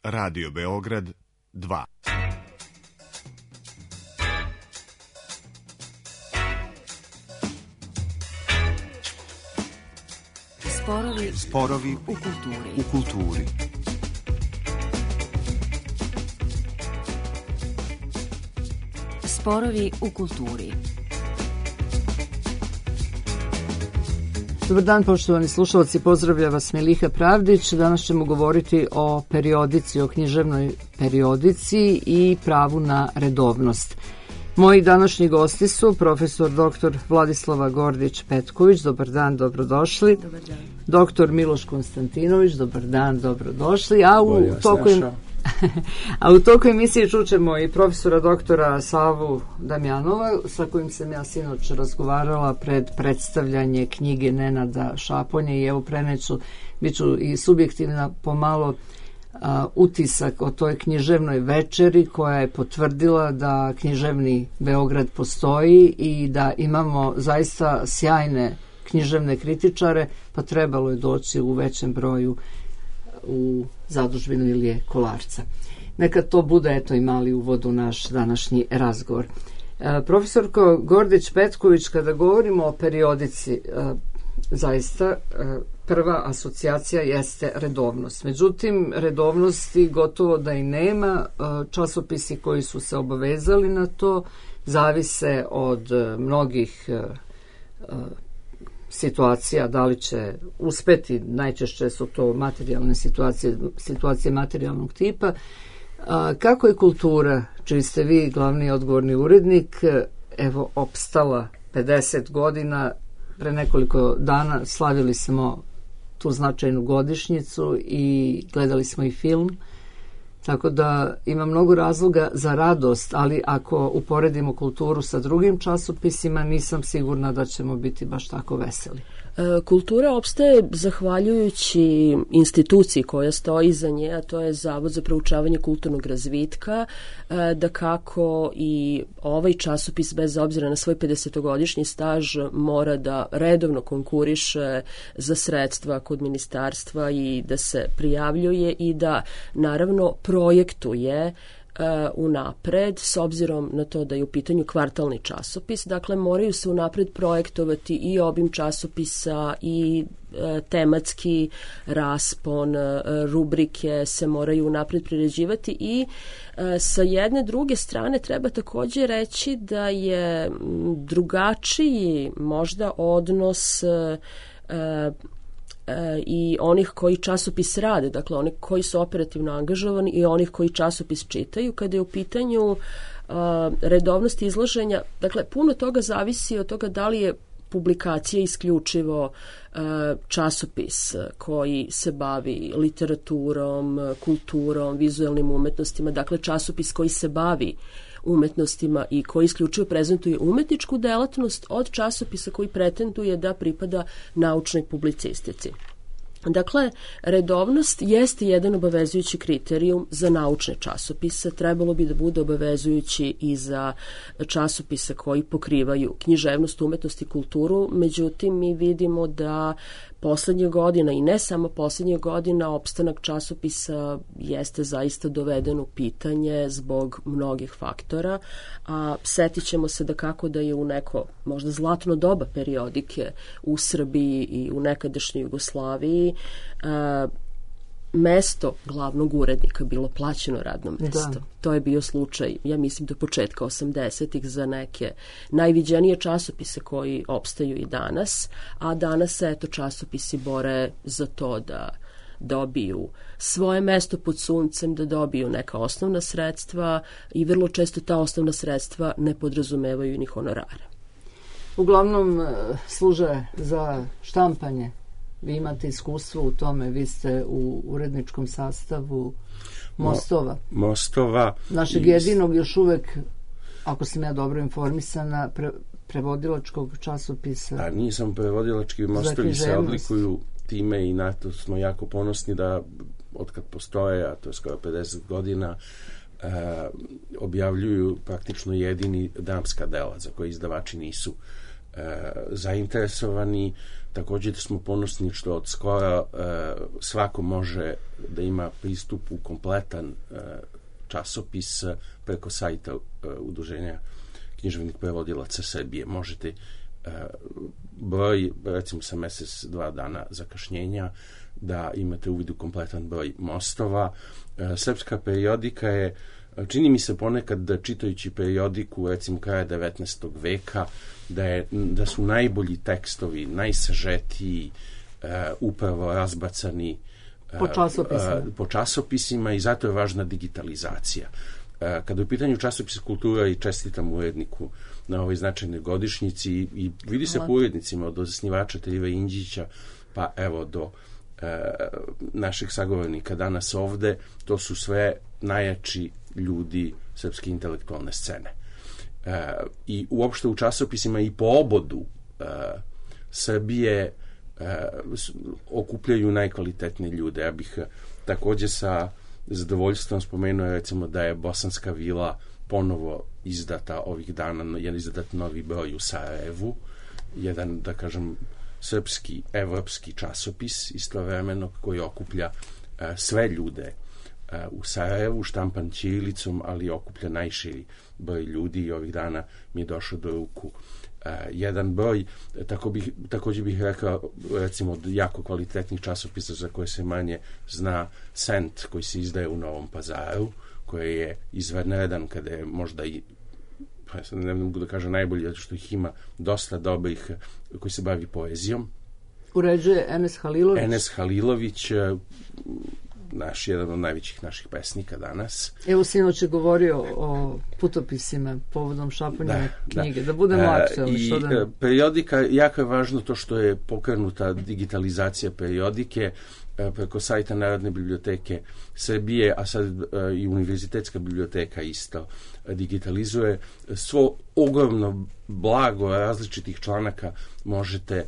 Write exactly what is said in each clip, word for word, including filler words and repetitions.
Radio Beograd dva. Sporovi, Sporovi u kulturi. U kulturi. Sporovi u kulturi. Dobar dan, poštovani slušalci, pozdravlja vas Miliha Pravdić. Danas ćemo govoriti o periodici, o književnoj periodici i pravu na redovnost. Moji današnji gosti su profesor doktor Vladislava Gordić-Petković, dobar dan, dobrodošli. Dobar dan. Doktor Miloš Konstantinović, dobar dan, dobrodošli. A u toku A u toku emisije čućemo i profesora doktora Savu Damjanova, sa kojim sam ja sinoć razgovarala pred predstavljanje knjige Nenada Šaponja i evo preneću, bit ću i subjektivna pomalo a, utisak o toj književnoj večeri koja je potvrdila da književni Beograd postoji i da imamo zaista sjajne književne kritičare, pa trebalo je doći u većem broju u zadužbinu Ilije Kolarca. Neka to bude eto i mali uvod u naš današnji razgovor. E, profesorko Gordić-Petković, kada govorimo o periodici, e, zaista e, prva asocijacija jeste redovnost. Međutim, redovnosti gotovo da i nema. E, časopisi koji su se obavezali na to zavise od e, mnogih e, situacija, da li će uspeti, najčešće su to materijalne situacije, situacije materijalnog tipa. A, kako je kultura, čiji ste vi glavni odgovorni urednik, evo, opstala pedeset godina, pre nekoliko dana slavili smo tu značajnu godišnjicu i gledali smo i film, tako da ima mnogo razloga za radost, ali ako uporedimo kulturu sa drugim časopisima, nisam sigurna da ćemo biti baš tako veseli. Kultura opstaje zahvaljujući instituciji koja stoji iza nje, a to je Zavod za proučavanje kulturnog razvitka, da kako i ovaj časopis, bez obzira na svoj pedesetogodišnji staž, mora da redovno konkuriše za sredstva kod ministarstva i da se prijavljuje i da naravno projektuje unapred, s obzirom na to da je u pitanju kvartalni časopis. Dakle, moraju se unapred projektovati i obim časopisa i e, tematski raspon, e, rubrike se moraju unapred priređivati i e, sa jedne druge strane treba također reći da je drugačiji možda odnos e, i onih koji časopis rade, dakle oni koji su operativno angažovani i onih koji časopis čitaju. Kada je u pitanju uh, redovnost izlaženja, dakle puno toga zavisi od toga da li je publikacija isključivo uh, časopis koji se bavi literaturom, kulturom, vizuelnim umetnostima, dakle časopis koji se bavi umetnostima i koji isključivo prezentuje umetničku delatnost od časopisa koji pretenduje da pripada naučnoj publicistici. Dakle, redovnost jeste jedan obavezujući kriterijum za naučne časopise, trebalo bi da bude obavezujući i za časopise koji pokrivaju književnost, umetnost i kulturu, međutim mi vidimo da poslednje godina i ne samo poslednje godina opstanak časopisa jeste zaista doveden u pitanje zbog mnogih faktora, a setit ćemo se da kako da je u neko možda zlatno doba periodike u Srbiji i u nekadašnjoj Jugoslaviji a, mesto glavnog urednika bilo plaćeno radno mesto. Da. To je bio slučaj, ja mislim, do početka osamdesetih za neke najviđenije časopise koji opstaju i danas, a danas se eto časopisi bore za to da dobiju svoje mesto pod suncem, da dobiju neka osnovna sredstva i vrlo često ta osnovna sredstva ne podrazumevaju ni honorare. Uglavnom služe za štampanje. Vi imate iskustvo u tome, vi ste u uredničkom sastavu Mostova. Mo, Mostova. Našeg jedinog još uvek, ako sam ja dobro informisana, pre, prevodilačkog časopisa. A nisam prevodilački, Mostovi se odlikuju time i na to smo jako ponosni da otkad postoje, a to je skoro pedeset godina, e, objavljuju praktično jedini damska dela za koje izdavači nisu zainteresovani. Također smo ponosni što od skora svako može da ima pristup u kompletan časopis preko sajta Udruženja književnih prevodilaca Srbije. Možete broj, recimo sa mesec, dva dana zakašnjenja, da imate uvid u kompletan broj mostova. Srpska periodika je, čini mi se ponekad da čitajući periodiku recimo kraja devetnaestog veka, da, je, da su najbolji tekstovi, najsažetiji uh, upravo razbacani uh, po časopisima. Uh, po časopisima i zato je važna digitalizacija. Uh, kada je u pitanju časopisa Kultura i čestitam uredniku na ovoj značajnoj godišnjici i, i vidi se po urednicima od osnivača Terive Inđića pa evo do uh, naših sagovornika danas ovde, to su sve najjači ljudi srpske intelektualne scene. Uh, i uopšte u časopisima i po obodu uh, Srbije uh, okupljaju najkvalitetnije ljude. Ja bih uh, također sa zadovoljstvom spomenuo recimo da je Bosanska vila ponovo izdata ovih dana, je izdat novi broj u Sarajevu, jedan, da kažem, srpski, evropski časopis istovremeno koji okuplja uh, sve ljude uh, u Sarajevu, štampan ćirilicom, ali okuplja najširi broj ljudi i ovih dana mi je došao do ruku uh, jedan broj. Tako bih, također bih rekao, recimo, od jako kvalitetnih časopisa za koje se manje zna, Sent, koji se izdaje u Novom Pazaru, koji je izvanredan kada je možda i, ne mogu da kažem najbolji, zato što ih ima dosta dobrih koji se bavi poezijom. Uređuje Enes Halilović. Enes Halilović, naš, jedan od najvećih naših pesnika danas. Evo, sinoć je govorio o putopisima povodom štampanja knjige, da, da budemo aktualni. I da... periodika, jako je važno to što je pokrenuta digitalizacija periodike preko sajta Narodne biblioteke Srbije, a sad i Univerzitetska biblioteka isto digitalizuje. Svo ogromno blago različitih članaka možete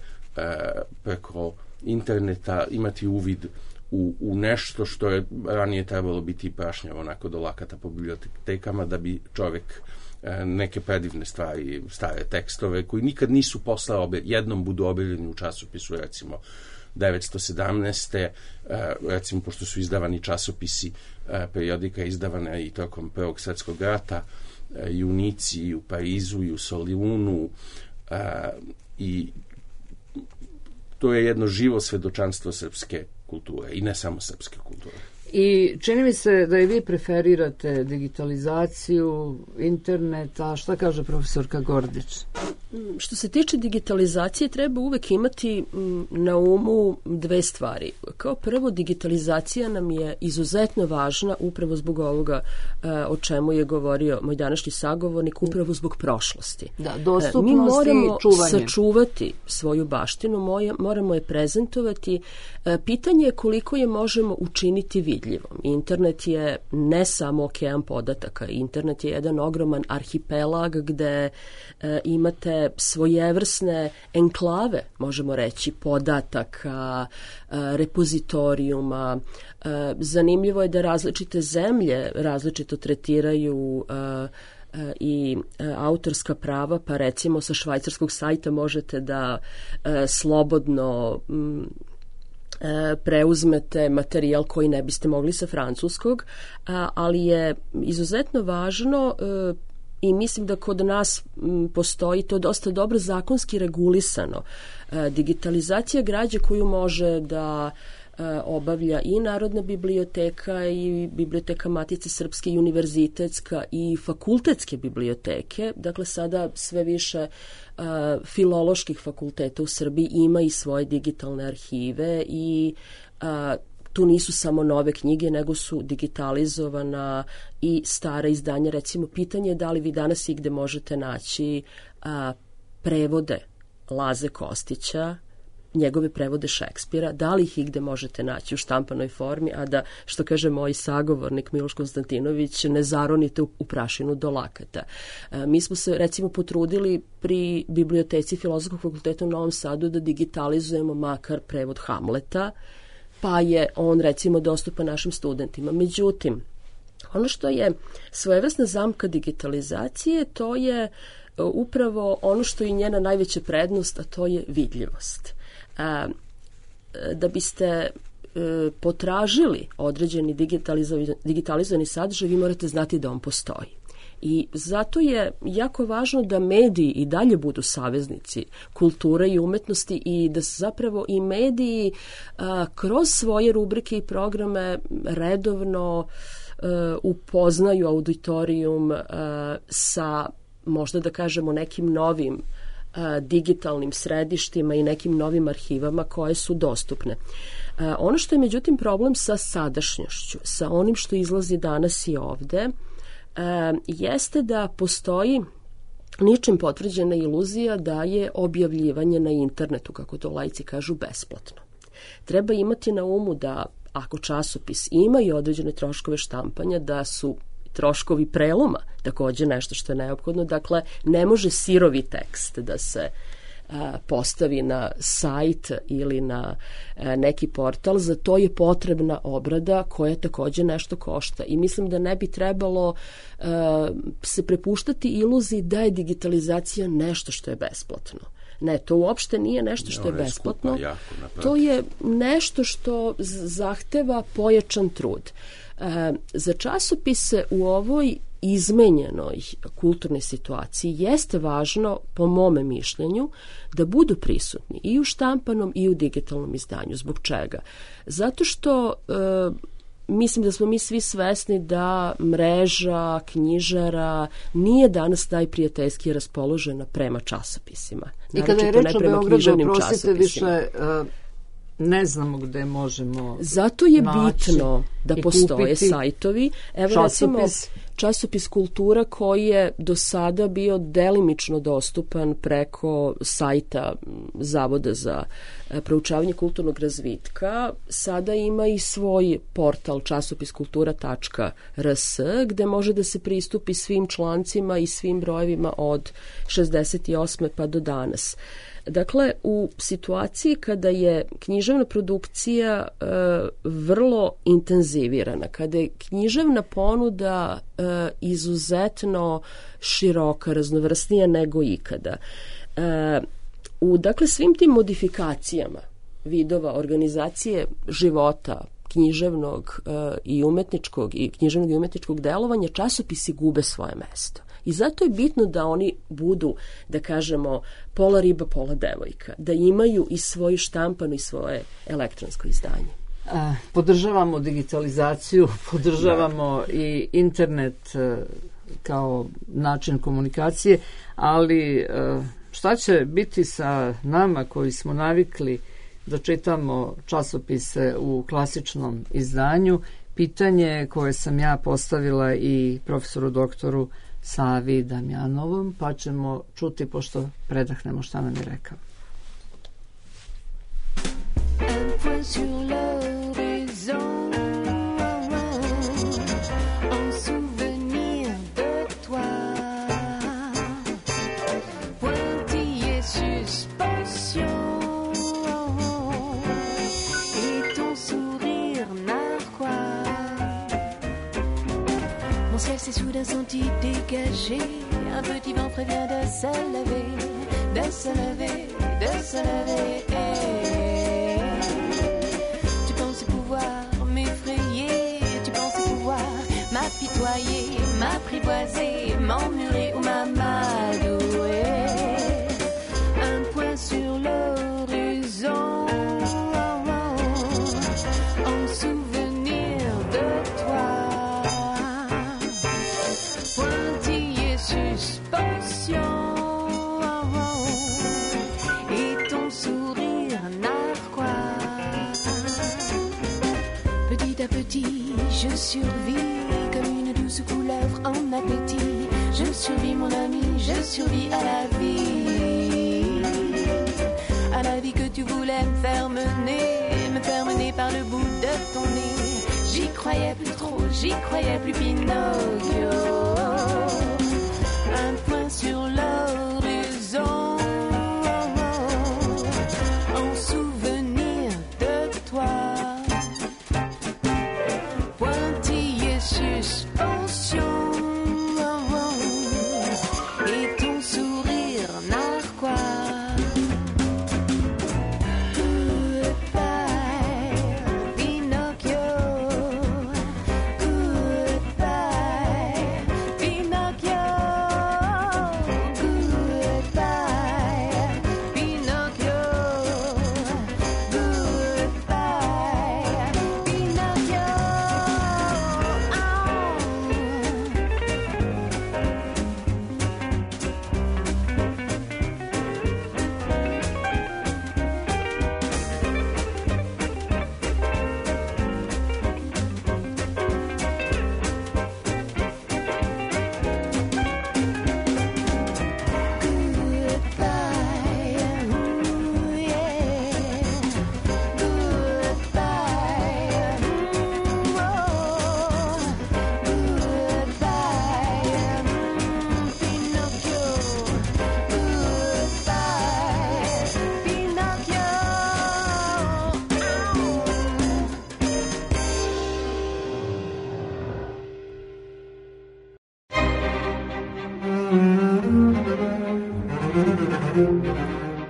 preko interneta imati uvid U, u nešto što je ranije trebalo biti prašnjavo onako do lakata po bibliotekama da bi čovjek e, neke predivne stvari, stare tekstove koji nikad nisu posle obe, jednom budu objavljeni u časopisu, recimo devetsto sedamnaeste. E, recimo, pošto su izdavani časopisi, e, periodika je izdavana i tokom Prvog svjetskog rata, e, i u Nici, i u Parizu, i u Solunu, e, i to je jedno živo svedočanstvo srpske kulture i ne samo srpske kulture. I čini mi se da i vi preferirate digitalizaciju, internet, a šta kaže profesorka Gordić? Što se tiče digitalizacije, treba uvek imati na umu dve stvari. Kao prvo, digitalizacija nam je izuzetno važna upravo zbog ovoga o čemu je govorio moj današnji sagovornik, upravo zbog prošlosti. Da, dostupnost Mi moramo i čuvanje. sačuvati svoju baštinu, moramo je prezentovati. Pitanje je koliko je možemo učiniti vidljivom. Internet je ne samo okean podataka, internet je jedan ogroman arhipelag gde e, imate svojevrsne enklave, možemo reći, podataka, e, repozitorijuma. E, zanimljivo je da različite zemlje različito tretiraju e, i autorska prava, pa recimo sa švajcarskog sajta možete da e, slobodno m, preuzmete materijal koji ne biste mogli sa francuskog, ali je izuzetno važno i mislim da kod nas postoji to dosta dobro zakonski regulisano. Digitalizacija građe koju može da obavlja i Narodna biblioteka i Biblioteka Matice Srpske i univerzitetska i fakultetske biblioteke. Dakle, sada sve više uh, filoloških fakulteta u Srbiji ima i svoje digitalne arhive i uh, tu nisu samo nove knjige, nego su digitalizovana i stara izdanja. Recimo, pitanje je da li vi danas igde možete naći uh, prevode Laze Kostića, njegove prevode Šekspira, da li ih igde možete naći u štampanoj formi, a da, što kaže moj sagovornik Miloš Konstantinović, ne zaronite u, u prašinu do lakata. E, mi smo se, recimo, potrudili pri Biblioteci Filozofskog fakulteta u Novom Sadu da digitalizujemo makar prevod Hamleta, pa je on, recimo, dostupan našim studentima. Međutim, ono što je svojevrsna zamka digitalizacije, to je upravo ono što je njena najveća prednost, a to je vidljivost. Da biste potražili određeni digitalizovani sadržaj, vi morate znati da on postoji. I zato je jako važno da mediji i dalje budu saveznici kulture i umetnosti i da zapravo i mediji a, kroz svoje rubrike i programe redovno a, upoznaju auditorijum a, sa, možda da kažemo, nekim novim a, digitalnim središtima i nekim novim arhivama koje su dostupne. A, ono što je međutim problem sa sadašnjošću, sa onim što izlazi danas i ovde, E, jeste da postoji ničim potvrđena iluzija da je objavljivanje na internetu, kako to laici kažu, besplatno. Treba imati na umu da ako časopis ima i određene troškove štampanja, da su troškovi preloma takođe nešto što je neophodno. Dakle, ne može sirovi tekst da se postavi na sajt ili na neki portal, za to je potrebna obrada koja takođe nešto košta. I mislim da ne bi trebalo uh, se prepuštati iluziji da je digitalizacija nešto što je besplatno. Ne, to uopšte nije nešto što je besplatno. To je nešto što zahteva pojačan trud. Uh, za časopise u ovoj izmenjenoj kulturnoj situaciji jeste važno, po mome mišljenju, da budu prisutni i u štampanom i u digitalnom izdanju. Zbog čega? Zato što e, mislim da smo mi svi svesni da mreža knjižara nije danas najprijateljski raspoložena prema časopisima. I kada je reč o Beogradu, oprostite, više uh, ne znamo gde možemo Zato je bitno da postoje sajtovi. Evo časopis. Recimo časopis Kultura koji je do sada bio delimično dostupan preko sajta Zavoda za proučavanje kulturnog razvitka. Sada ima i svoj portal časopiskultura tačka r s gde može da se pristupi svim člancima i svim brojevima od šezdeset osme pa do danas. Dakle, u situaciji kada je književna produkcija e, vrlo intenzivirana, kada je književna ponuda e, izuzetno široka, raznovrsnija nego ikada, e, u dakle svim tim modifikacijama vidova organizacije života književnog e, i umetničkog i književnog i umetničkog delovanja, časopisi gube svoje mesto. I zato je bitno da oni budu, da kažemo, pola riba, pola devojka, da imaju i svoju štampanu i svoje elektronsko izdanje. A, podržavamo digitalizaciju, podržavamo da. i internet kao način komunikacije, ali šta će biti sa nama koji smo navikli da čitamo časopise u klasičnom izdanju? Pitanje koje sam ja postavila i profesoru doktoru Savi Damjanovom, pa ćemo čuti, pošto predahnemo, šta nam je rekao. S'est soudain senti dégagé, un petit vent prévient de se lever, de se lever, de se lever. Tu pensais pouvoir m'effrayer, tu pensais pouvoir m'apitoyer, m'apprivoiser, m'emmurer ou m'amadouer. Un point sur l'horizon, en souvenir de toi. Suspension et ton sourire narquois. Petit à petit, je survis comme une douce couleuvre en appétit. Je survis, mon ami, je survis à la vie, à la vie que tu voulais me faire mener, me faire mener par le bout de ton nez. J'y croyais plus trop, j'y croyais plus, Pinocchio. Un point sur l'horizon, en souvenir de toi. Pointillé suspension, et ton sourire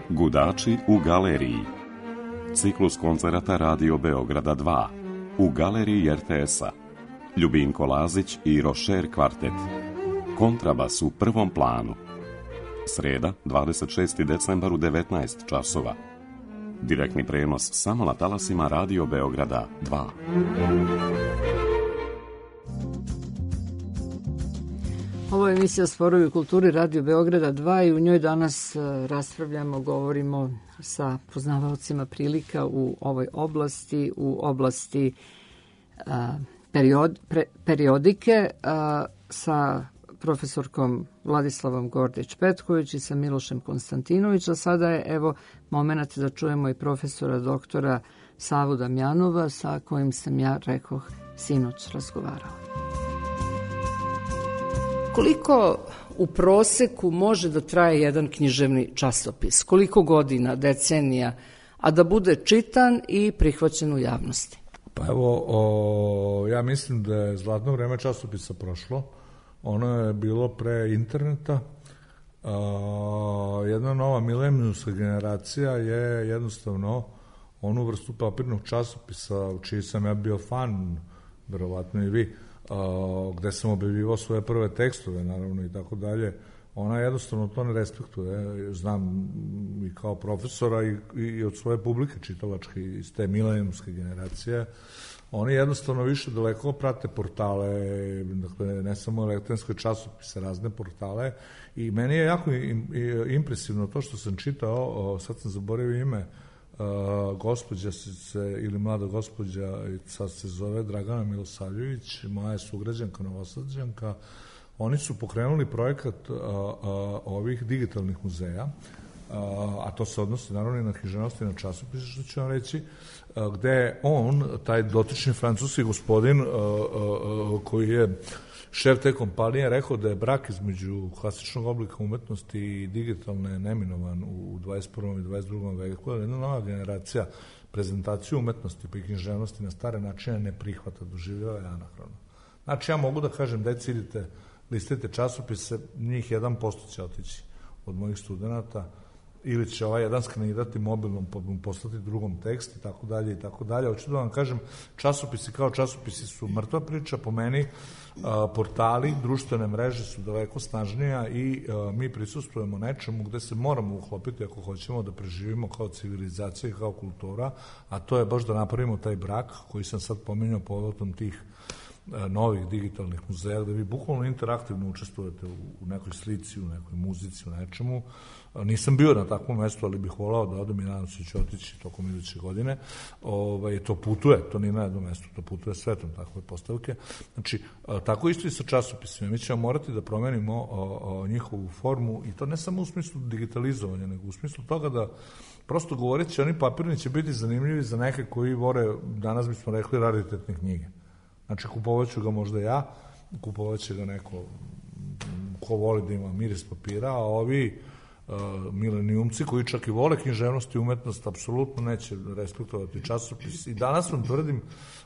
Gudači u galeriji. Ciklus koncerata Radio Beograda dva. U galeriji er te es-a. Ljubinko Lazić i Rošer kvartet. Kontrabas u prvom planu. Sreda, dvadeset šesti decembar u devetnaest časova. Direktni prenos samo na talasima Radio Beograda dva. Ovo je emisija Sporovi u kulturi Radio Beograda dva i u njoj danas raspravljamo, govorimo sa poznavaocima prilika u ovoj oblasti, u oblasti a, period, pre, periodike a, sa profesorkom Vladislavom Gordić-Petković i sa Milošem Konstantinović, a sada je evo moment da čujemo i profesora doktora Savu Damjanova sa kojim sam ja, rekoh, sinoć razgovarala. Koliko u proseku može da traje jedan književni časopis? Koliko godina, decenija, a da bude čitan i prihvaćen u javnosti? Pa evo, o, ja mislim da je zlatno vreme časopisa prošlo. Ono je bilo pre interneta. A, jedna nova milenijumska generacija je jednostavno onu vrstu papirnog časopisa u čiji sam ja bio fan, verovatno i vi, a, gde sam objavljivao svoje prve tekstove, naravno, i tako dalje. Ona jednostavno to ne respektuje. Znam i kao profesora i, i od svoje publike čitalačke iz te milenijumske generacije. Oni jednostavno više daleko prate portale, dakle, ne samo elektronske časopise, razne portale, i meni je jako impresivno to što sam čitao, sad sam zaboravio ime, gospođa se, ili mlada gospođa, sad se zove Dragana Milosavljević, moja je sugrađanka, Novosađanka. Oni su pokrenuli projekat a, a, ovih digitalnih muzeja, a, a to se odnosi naravno i na književnost i na časopise, što ću vam reći, a, gde on, taj dotični francuski gospodin a, a, a, koji je šef te kompanije, rekao da je brak između klasičnog oblika umetnosti i digitalne neminovan u dvadeset prvom i dvadeset drugom veku, jedna nova generacija prezentaciju umetnosti pa i književnosti na stare načine ne prihvata, doživljava je anahrono. Znači, ja mogu da kažem, deci, idite, listite časopise, njih jedan posto će otići od mojih studenta, ili će ovaj jedan skanirati mobilnom, pa mu poslati drugom tekst i tako dalje i tako dalje. Hoću da vam kažem, časopisi kao časopisi su mrtva priča, po meni a, portali, društvene mreže su daleko snažnija i a, mi prisustujemo nečemu gde se moramo uhlopiti ako hoćemo da preživimo kao civilizacija i kao kultura, a to je baš da napravimo taj brak koji sam sad pominjao povodom tih novih digitalnih muzeja, gde vi bukvalno interaktivno učestvujete u nekoj slici, u nekoj muzici, u nečemu. Nisam bio na takvom mestu, ali bih volao da odem i nadam se ću otići tokom iduće godine. Ovaj, to putuje, to nije na jednom mestu, to putuje svetom takve postavke. Znači, tako isto i sa časopisima. Mi ćemo morati da promenimo o, o, njihovu formu, i to ne samo u smislu digitalizovanja, nego u smislu toga da prosto govoreći, oni papirni će biti zanimljivi za neke koji vore, danas bismo rekli, raritetne knjige. Znači, kupovaću ga možda ja, kupovaće ga neko ko voli da ima miris papira, a ovi uh, milenijumci koji čak i vole književnost i umetnost apsolutno neće respektovati časopis. I danas vam tvrdim,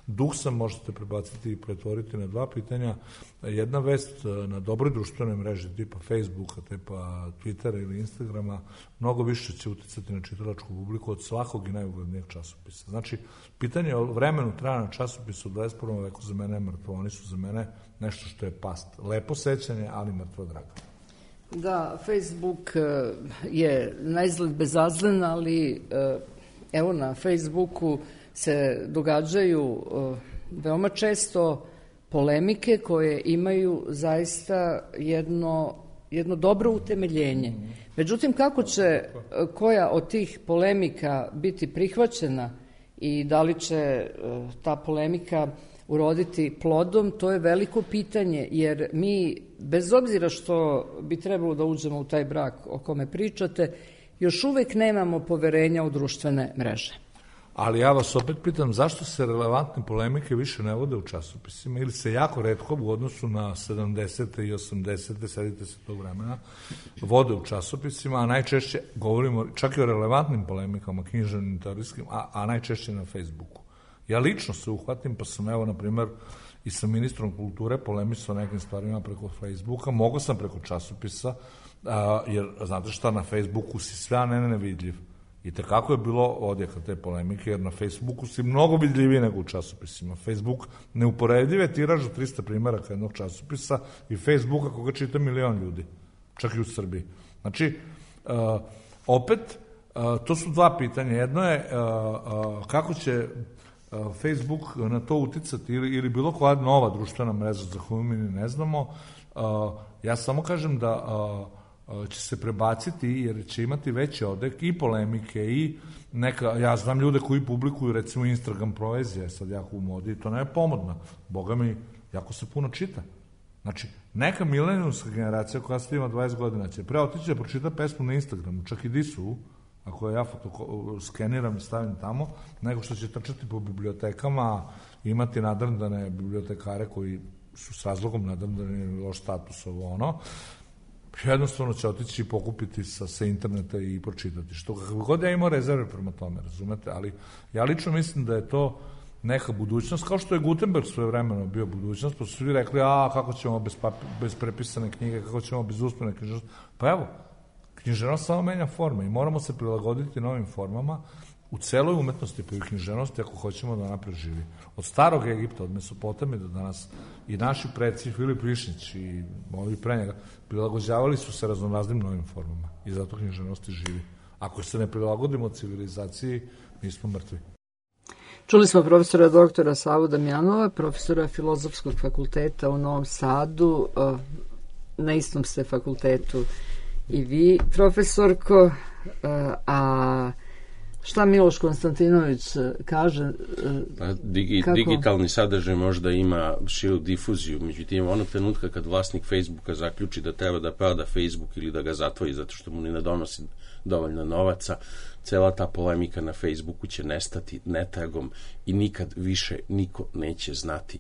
duh sam, možete prebaciti i pretvoriti na dva pitanja. Jedna vest na dobroj društvenoj mreži tipa Facebooka, tipa Twittera ili Instagrama mnogo više će uticati na čitalačku publiku od svakog i najuglednijeg časopisa. Znači, pitanje o vremenu trajanja časopisa u dvadeset prvom veku za mene je mrtvo. Oni su za mene nešto što je past. Lepo sećanje, ali mrtvo drago. Da, Facebook je naizgled bezazlen, ali evo na Facebooku se događaju veoma često polemike koje imaju zaista jedno, jedno dobro utemeljenje. Međutim, kako će koja od tih polemika biti prihvaćena i da li će ta polemika uroditi plodom, to je veliko pitanje, jer mi, bez obzira što bi trebalo da uđemo u taj brak o kome pričate, još uvek nemamo poverenja u društvene mreže. Ali ja vas opet pitam, zašto se relevantne polemike više ne vode u časopisima ili se jako retko u odnosu na sedamdesete i osamdesete, sedite se tog vremena, vode u časopisima, a najčešće govorimo čak i o relevantnim polemikama, književnim, teorijskim, a, a najčešće na Facebooku. Ja lično se uhvatim, pa sam evo, na primjer, i sa ministrom kulture polemisao nekim stvarima preko Facebooka, mogo sam preko časopisa, a, jer znate šta, na Facebooku si sve, a ne nevidljiv. I tekako je bilo odjeka te polemike, jer na Facebooku si mnogo vidljiviji nego u časopisima. Facebook neuporedive tiraž od trista primjeraka jednog časopisa i Facebooka koga čita milion ljudi, čak i u Srbiji. Znači, uh, opet, uh, to su dva pitanja. Jedno je uh, uh, kako će uh, Facebook na to uticati ili, ili bilo koja nova društvena mreža za koju mi ne znamo. Uh, ja samo kažem da uh, će se prebaciti jer će imati veći odek i polemike i neka, ja znam ljude koji publikuju recimo Instagram poezije, sad jako u modi i to ne je pomodno, boga mi jako se puno čita. Znači, neka milenijumska generacija koja sad ima dvadeset godina će pre otići da pročita pesmu na Instagramu, čak i disu, ako ja foto skeniram i stavim tamo, nego što će trčati po bibliotekama, imati nadrndane bibliotekare koji su s razlogom nadrndani loš status ovo ono, jednostavno će otići i pokupiti sa, sa interneta i pročitati. Što kako god ja imao rezerve prema tome, razumete, ali ja lično mislim da je to neka budućnost, kao što je Gutenberg svoje vremeno bio budućnost, pa su svi rekli, a kako ćemo bez, papi, bez prepisane knjige, kako ćemo bez usmene književnosti. Pa evo, književnost samo menja forme i moramo se prilagoditi novim formama u celoj umetnosti, pa i književnosti, ako hoćemo da ona preživi. Od starog Egipta, od Mesopotamije do danas, i naši preci, Filip Višnjić i ovi pre njega, prilagođavali su se raznoraznim novim formama i zato književnosti živi. Ako se ne prilagodimo civilizaciji, mi smo mrtvi. Čuli smo profesora doktora Savu Damjanova, profesora Filozofskog fakulteta u Novom Sadu, na istom ste fakultetu i vi, profesorko, a šta Miloš Konstantinović kaže? Pa, digi, kako? Digitalni sadržaj možda ima širu difuziju, međutim onog trenutka kad vlasnik Facebooka zaključi da treba da proda Facebook ili da ga zatvori zato što mu ne donosi dovoljno novaca, cela ta polemika na Facebooku će nestati netragom i nikad više niko neće znati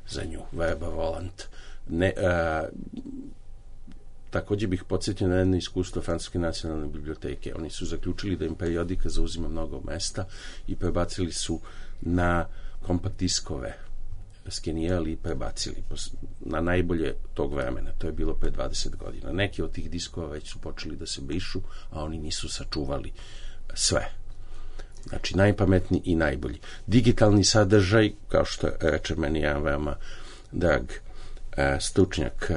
za nju. Verba volant. Ne, a, također bih podsjetio na jedno iskustvo Francuske nacionalne biblioteke. Oni su zaključili da im periodika zauzima mnogo mesta i prebacili su na kompakt diskove, skenirali i prebacili na najbolje tog vremena. To je bilo pre dvadeset godina. Neki od tih diskova već su počeli da se brišu, a oni nisu sačuvali sve. Znači, najpametniji i najbolji. Digitalni sadržaj, kao što reče meni jedan veoma drag stručnjak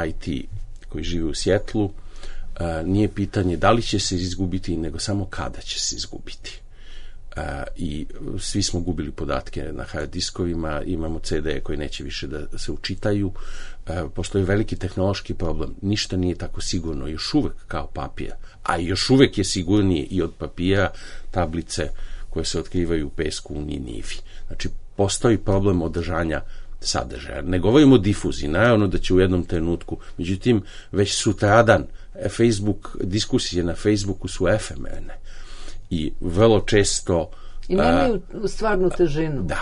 I T koji živi u Sjetlu, nije pitanje da li će se izgubiti, nego samo kada će se izgubiti. I svi smo gubili podatke na hard diskovima, imamo C D koji neće više da se učitaju, postoji veliki tehnološki problem, ništa nije tako sigurno još uvek kao papir, a još uvek je sigurnije i od papira tablice koje se otkrivaju u pesku u Ninivi. Znači, postoji problem održanja sadržaja. Ne govorimo o difuziji, naravno da će u jednom trenutku, međutim, već sutradan Facebook, diskusije na Facebooku su efemerne i vrlo često i nemaju stvarnu težinu. Da,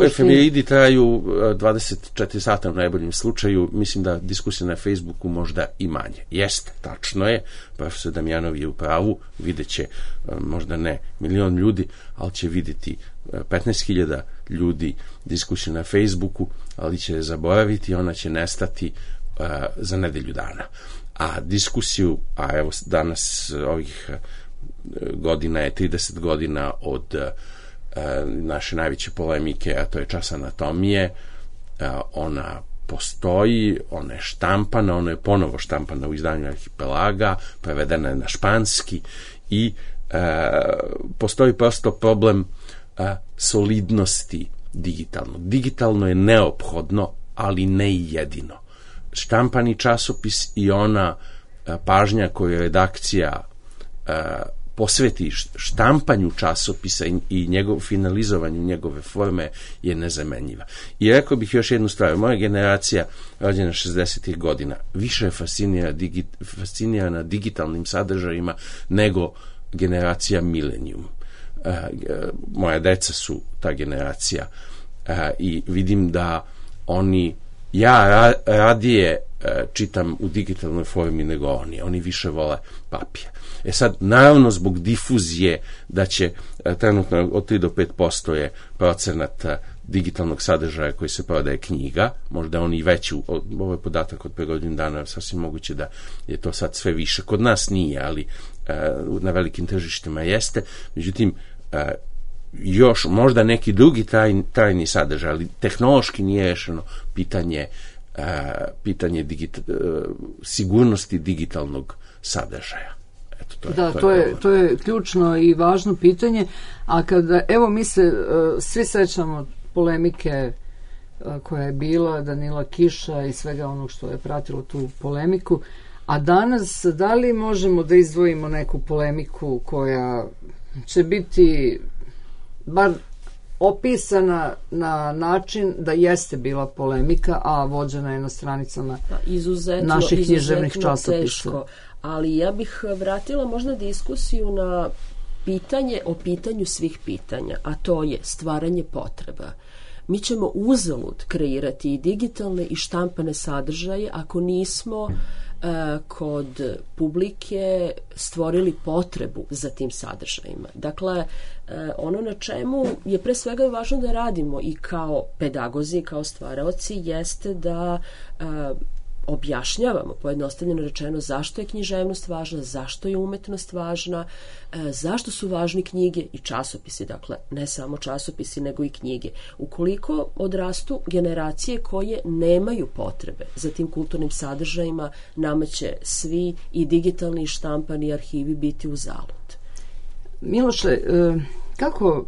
efemeridi traju dvadeset četiri sata u najboljem slučaju, mislim da diskusija na Facebooku možda i manje. Jeste, tačno je, profesor Damjanov je u pravu, vidjet će možda ne milion ljudi, ali će vidjeti petnaest hiljada ljudi diskusiju na Facebooku, ali će zaboraviti, ona će nestati uh, za nedelju dana. A diskusiju, a evo danas ovih godina je trideset godina od uh, naše najveće polemike, a to je čas anatomije, uh, ona postoji, ona je štampana, ona je ponovo štampana u izdanju Arhipelaga, prevedena je na španski i uh, postoji prosto problem a, solidnosti digitalno. Digitalno je neophodno, ali ne i jedino. Štampani časopis i ona a, pažnja koju redakcija a, posveti štampanju časopisa i, i njegov, finalizovanju njegove forme je nezamenjiva. I rekao bih još jednu stvar. Moja generacija, rođena šezdesetih godina, više je fascinira digi, fascinirana digitalnim sadržajima nego generacija Millennium. Uh, moja deca su ta generacija uh, i vidim da oni, ja ra, radije uh, čitam u digitalnoj formi nego oni, oni više vole papir. E sad, naravno zbog difuzije da će uh, trenutno od tri do pet posto je procenat uh, digitalnog sadržaja koji se prodaje knjiga, možda on i veći, ovo je podatak od pre godinu dana, sasvim moguće da je to sad sve više. Kod nas nije, ali na velikim tržištima jeste. Međutim, još možda neki drugi tajni, tajni sadržaj, ali tehnološki nije rešeno pitanje, pitanje digita, sigurnosti digitalnog sadržaja. Eto, to je, da, to, to, je, je, to je ključno i važno pitanje, a kada, evo mi se uh, svi sećamo polemike uh, koja je bila, Danila Kiša i svega onog što je pratilo tu polemiku, a danas da li možemo da izdvojimo neku polemiku koja će biti bar opisana na način da jeste bila polemika, a vođena je na stranicama da, izuzetno, naših književnih časopisa. Teško. Ali ja bih vratila možda diskusiju na pitanje o pitanju svih pitanja, a to je stvaranje potreba. Mi ćemo uzalud kreirati i digitalne i štampane sadržaje ako nismo e, kod publike stvorili potrebu za tim sadržajima. Dakle, e, ono na čemu je pre svega važno da radimo i kao pedagozi, kao stvaraoci, jeste da e, objašnjavamo, pojednostavljeno rečeno, zašto je književnost važna, zašto je umetnost važna, e, zašto su važni knjige i časopisi, dakle, ne samo časopisi, nego i knjige. Ukoliko odrastu generacije koje nemaju potrebe za tim kulturnim sadržajima, nama će svi i digitalni i štampani arhivi biti uzalud. Miloše, e, kako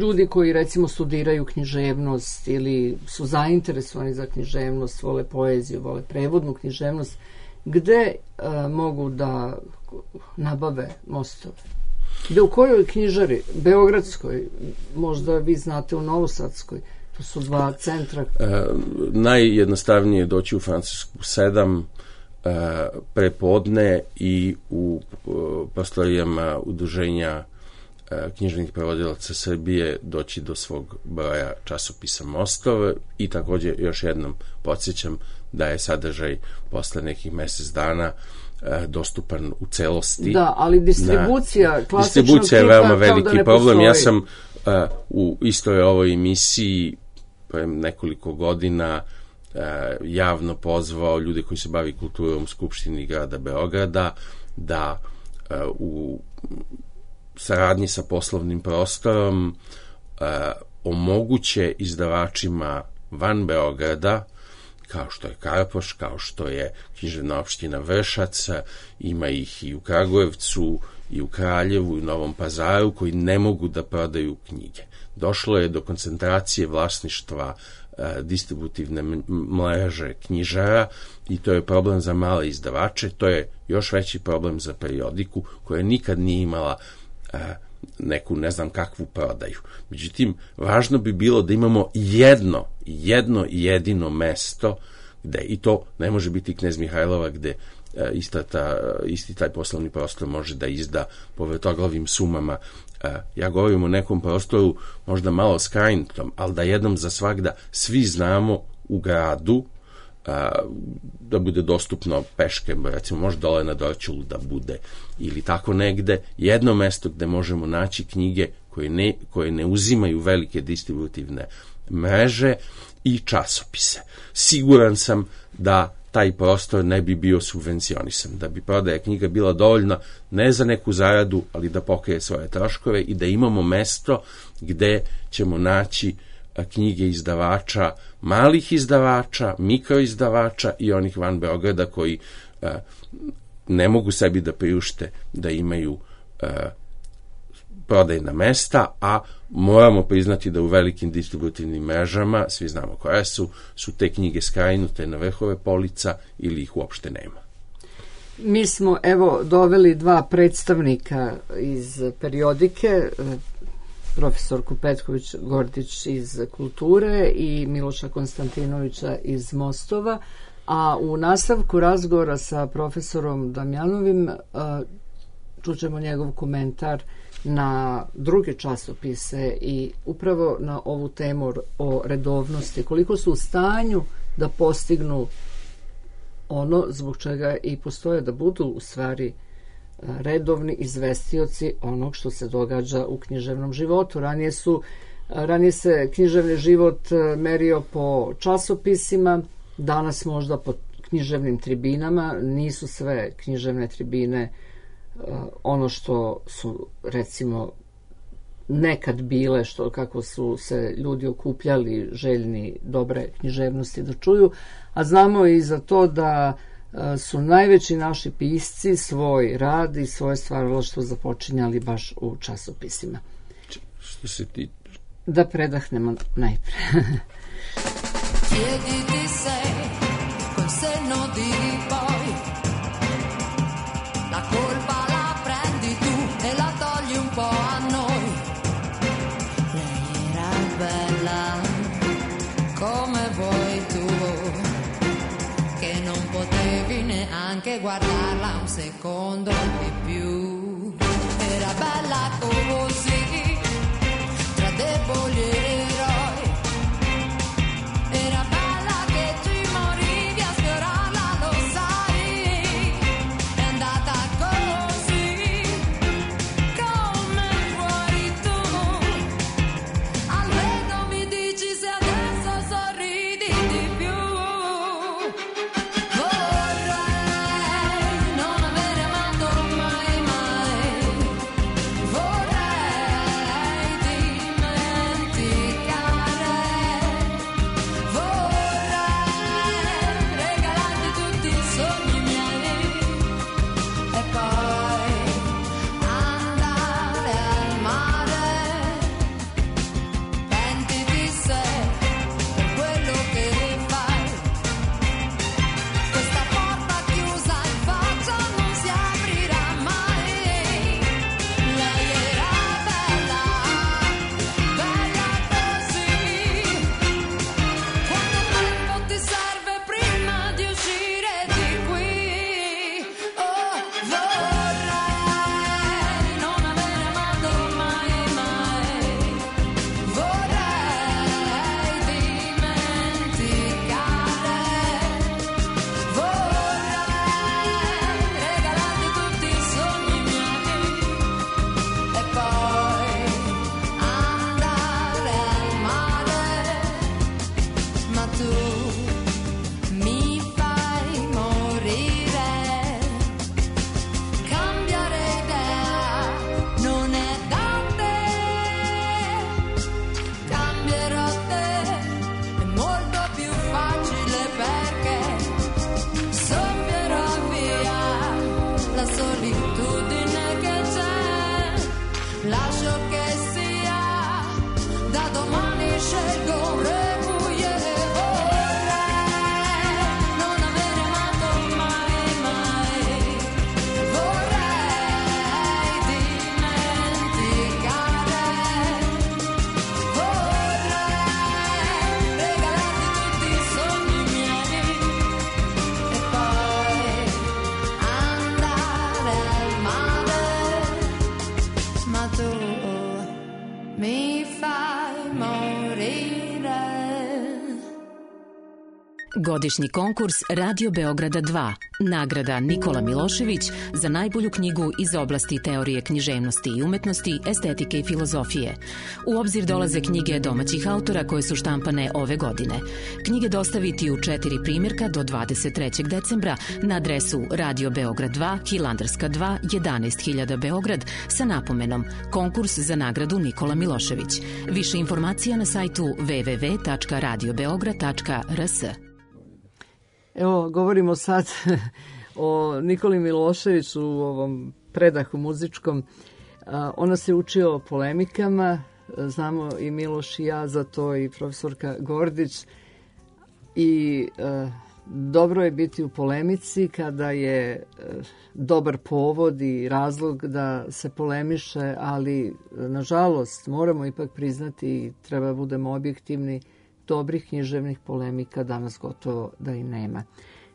ljudi koji recimo studiraju književnost ili su zainteresovani za književnost, vole poeziju, vole prevodnu književnost, gde a, mogu da nabave mostove? Gde, u kojoj knjižari? Beogradskoj, možda vi znate u Novosadskoj, to su dva centra. E, najjednostavnije je doći u Francusku sedam e, prepodne i u e, prostorijama udruženja književnih prevodilaca Srbije doći do svog broja časopisa Mostove i također još jednom podsjećam da je sadržaj posle nekih mesec dana e, dostupan u celosti. Da, ali distribucija na, klasičnog distribucija je veoma veliki da problem. postoji. Ja sam e, u istoj ovoj emisiji pre nekoliko godina e, javno pozvao ljude koji se bavi kulturom u Skupštini grada Beograda da e, u saradnji sa poslovnim prostorom e, omoguće izdavačima van Beograda, kao što je Karpoš, kao što je književna opština Vršac, ima ih i u Kragujevcu, i u Kraljevu, i u Novom Pazaru, koji ne mogu da prodaju knjige. Došlo je do koncentracije vlasništva e, distributivne mreže knjižara i to je problem za male izdavače, to je još veći problem za periodiku koja nikad nije imala neku ne znam kakvu prodaju. Međutim, važno bi bilo da imamo jedno, jedno jedino mesto gde, i to ne može biti Knez Mihajlova gde ista ta, isti taj poslovni prostor može da izda po vrtoglavim sumama. Ja govorim o nekom prostoru možda malo skrajnutom, ali da jednom za svagda svi znamo u gradu a, da bude dostupno peške, recimo može dole na Dorćolu da bude ili tako negde, jedno mesto gde možemo naći knjige koje ne, koje ne uzimaju velike distributivne mreže i časopise. Siguran sam da taj prostor ne bi bio subvencionisan, da bi prodaja knjiga bila dovoljna ne za neku zaradu, ali da pokrije svoje troškove i da imamo mesto gde ćemo naći knjige izdavača, malih izdavača, mikroizdavača i onih van Beograda koji uh, ne mogu sebi da priušte da imaju uh, prodajna mesta, a moramo priznati da u velikim distributivnim mrežama, svi znamo koje su, su te knjige skrajnute na vrhove polica ili ih uopšte nema. Mi smo, evo, doveli dva predstavnika iz periodike, profesorku Petković Gordić iz kulture i Miloša Konstantinovića iz Mostova, a u nastavku razgovora sa profesorom Damjanovim čućemo njegov komentar na druge časopise i upravo na ovu temu o redovnosti, koliko su u stanju da postignu ono zbog čega i postoje, da budu u stvari redovni izvestioci onog što se događa u književnom životu. Ranije su Ranije se književni život merio po časopisima, danas možda po književnim tribinama. Nisu sve književne tribine ono što su, recimo, nekad bile, što kako su se ljudi okupljali željni dobre književnosti da čuju, a znamo i za to da su najveći naši pisci svoj rad i svoje stvaralaštvo započinjali baš u časopisima. Što se ti... Da predahnemo najpre. Chiediti se col senno di poi la colpa la prendi tu e la togli un po' a noi. Lei era bella come vuoi tu, che non potevi neanche guardarla un secondo di più. Era bella così, tra deboli eroi. Era bella che ci morivi a sfiorarla, lo sai. È andata così, come vuoi tu. Almeno mi dici se adesso sorridi di più. Vorrei non aver amato mai mai. Vorrei dimenticare. Vorrei regalarti tutti i sogni miei e poi andare al mare. Pentiti se per quello che fai. Questa porta chiusa in faccia non si aprirà mai. Lei era bella, bella così. Quanto tempo ti serve prima di uscire di qui? Oh, vorrei non aver amato mai mai. Vorrei dimenticare. Vorrei regalarti tutti i sogni miei e poi andare al mare. Ma tu mi fai morire. Cambiare idea non è da te. Cambierò te, è molto più facile perché soffierò via la solitudine che c'è. Lascio che sia, da domani scelgo un requiem. Vorrei non aver amato mai mai. Vorrei dimenticare. Vorrei regalarti tutti i sogni miei e poi andare al mare. Ma tu mi fai morire. Godišnji konkurs Radio Beograda dva. Nagrada Nikola Milošević za najbolju knjigu iz oblasti teorije književnosti i umetnosti, estetike i filozofije. U obzir dolaze knjige domaćih autora koje su štampane ove godine. Knjige dostaviti u četiri primjerka do dvadeset trećeg decembra na adresu Radio Beograd dva, Hilandarska dva, jedanaest hiljada Beograd sa napomenom Konkurs za nagradu Nikola Milošević. Više informacija na sajtu w w w tačka radio beograd tačka r s. Evo, govorimo sad o Nikoli Miloševiću u ovom predahu muzičkom. Ona se učio polemikama, znamo i Miloš i ja, za to i profesorka Gordić. I e, dobro je biti u polemici kada je e, dobar povod i razlog da se polemiše, ali nažalost moramo ipak priznati i treba budemo objektivni, dobrih književnih polemika danas gotovo da i nema.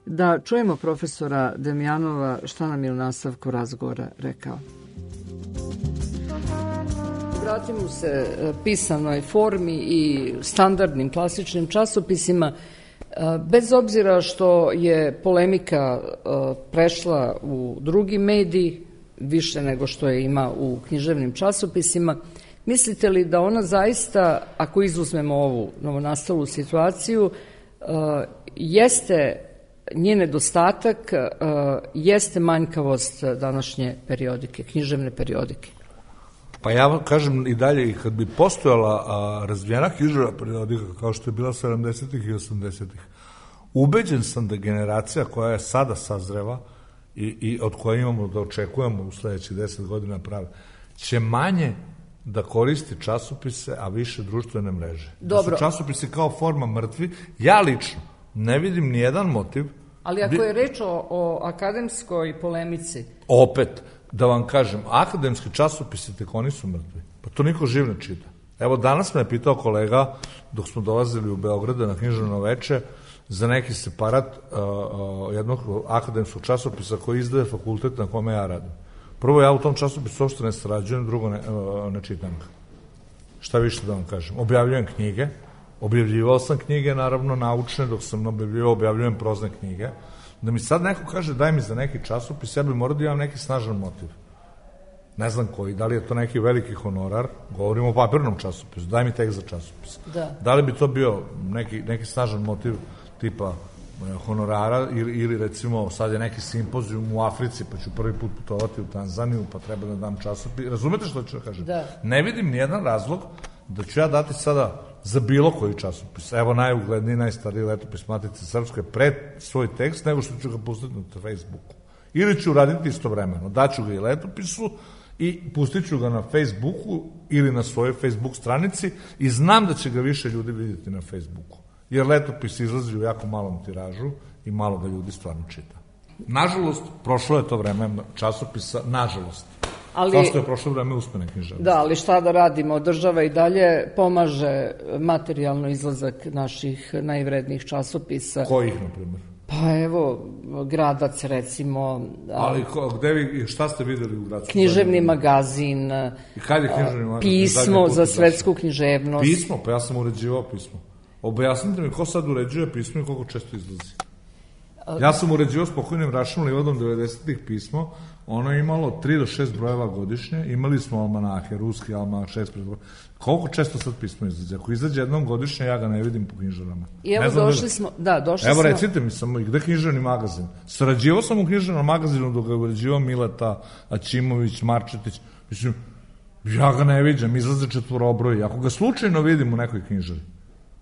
Da čujemo profesora Demjanova šta nam je u nastavku razgovora rekao. Vratimo se pisanoj formi i standardnim klasičnim časopisima. Bez obzira što je polemika prešla u drugi medij, više nego što je ima u književnim časopisima, Mislite li da ona zaista, ako izuzmemo ovu novonastalu situaciju, jeste njen nedostatak, jeste manjkavost današnje periodike, književne periodike? Pa ja vam kažem i dalje, i kad bi postojala razvijena književna periodika, kao što je bila sedamdesetih i osamdesetih, ubeđen sam da generacija koja je sada sazreva i, i od koje imamo da očekujemo u sledećih deset godina prave, će manje da koristi časopise, a više društvene mreže. Dobro. Da su časopisi kao forma mrtvi. Ja lično ne vidim nijedan motiv. Ali ako je reč o, o akademskoj polemici... Opet, da vam kažem, akademski časopisi tek oni su mrtvi. Pa to niko živ ne čita. Evo, danas me je pitao kolega, dok smo dolazili u Beograda na književno veče, za neki separat uh, uh, jednog akademskog časopisa koji izdaje fakultet na kome ja radim. Prvo, ja u tom časopisu uopšte ne sarađujem, drugo ne, uh, ne čitam ga. Šta više da vam kažem? Objavljujem knjige, objavljivao sam knjige, naravno naučne, dok sam objavljivao, objavljujem prozne knjige. Da mi sad neko kaže daj mi za neki časopis, ja bih morao da imam neki snažan motiv. Ne znam koji, da li je to neki veliki honorar, govorimo o papirnom časopisu, daj mi tek za časopis. Da. Da li bi to bio neki, neki snažan motiv tipa honorara ili, ili recimo sad je neki simpozijum u Africi pa ću prvi put putovati u Tanzaniju pa treba da dam časopis. Razumete što ću da kažem? Da. Ne vidim nijedan razlog da ću ja dati sada za bilo koji časopis. Evo najugledniji, najstariji letopis Matice Srpske pred svoj tekst nego što ću ga pustiti na Facebooku. Ili ću raditi istovremeno. Daću ga i letopisu i pustit ću ga na Facebooku ili na svojoj Facebook stranici i znam da će ga više ljudi vidjeti na Facebooku. Jer letopis izlazi u jako malom tiražu i malo ga ljudi stvarno čita. Nažalost, prošlo je to vreme časopisa, nažalost. Ali, kao što je prošlo vreme uspene književnosti. Da, ali šta da radimo? Država i dalje pomaže materijalno izlazak naših najvrednijih časopisa. Kojih, na primjer? Pa evo, Gradac recimo. Ali ko, gde vi, šta ste videli u Gradcu? Književni magazin. I kad je književni magazin? Pismo za svetsku književnost. Pismo? Pa ja sam uređivao pismo. Objasnite mi ko sad uređuje pismo i koliko često izlazi. Ja sam uređivao s pokojnim Rašom Livadom devedesetih pismo, ono je imalo tri do šest brojeva godišnje, imali smo almanahe, ruski almanah, šest brojeva. Koliko često sad pismo izlazi? Ako izađe jednom godišnje, ja ga ne vidim po knjižarama. I evo došli smo, da, došli evo, smo... Evo recite mi samo, gde knjižarni magazin? Sarađivao sam u knjižarnom magazinu dok ga je uređivao Mileta, Aćimović, Marčetić. Mislim, ja ga ne vidim, izlaze četvorobroji. Ako ga slučajno vidim u nekoj knjižari,